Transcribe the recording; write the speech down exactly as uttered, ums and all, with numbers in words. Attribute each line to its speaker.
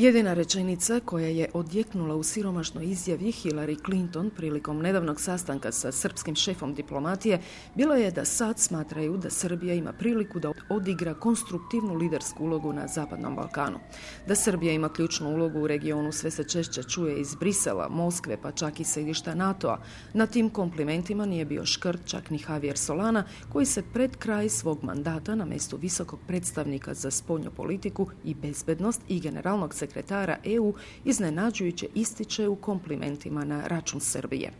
Speaker 1: Jedina rečenica koja je odjeknula u siromašnoj izjavi Hillary Clinton prilikom nedavnog sastanka sa srpskim šefom diplomatije bilo je da sad smatraju da Srbija ima priliku da odigra konstruktivnu lidersku ulogu na Zapadnom Balkanu. Da Srbija ima ključnu ulogu u regionu sve se češće čuje iz Brisela, Moskve pa čak i središta NATO-a. Na tim komplimentima nije bio škrt čak ni Javier Solana koji se pred kraj svog mandata na mjestu visokog predstavnika za spoljnu politiku i bezbednost i generalnog sekretara E U iznenađujuće ističe u komplimentima na račun Srbije.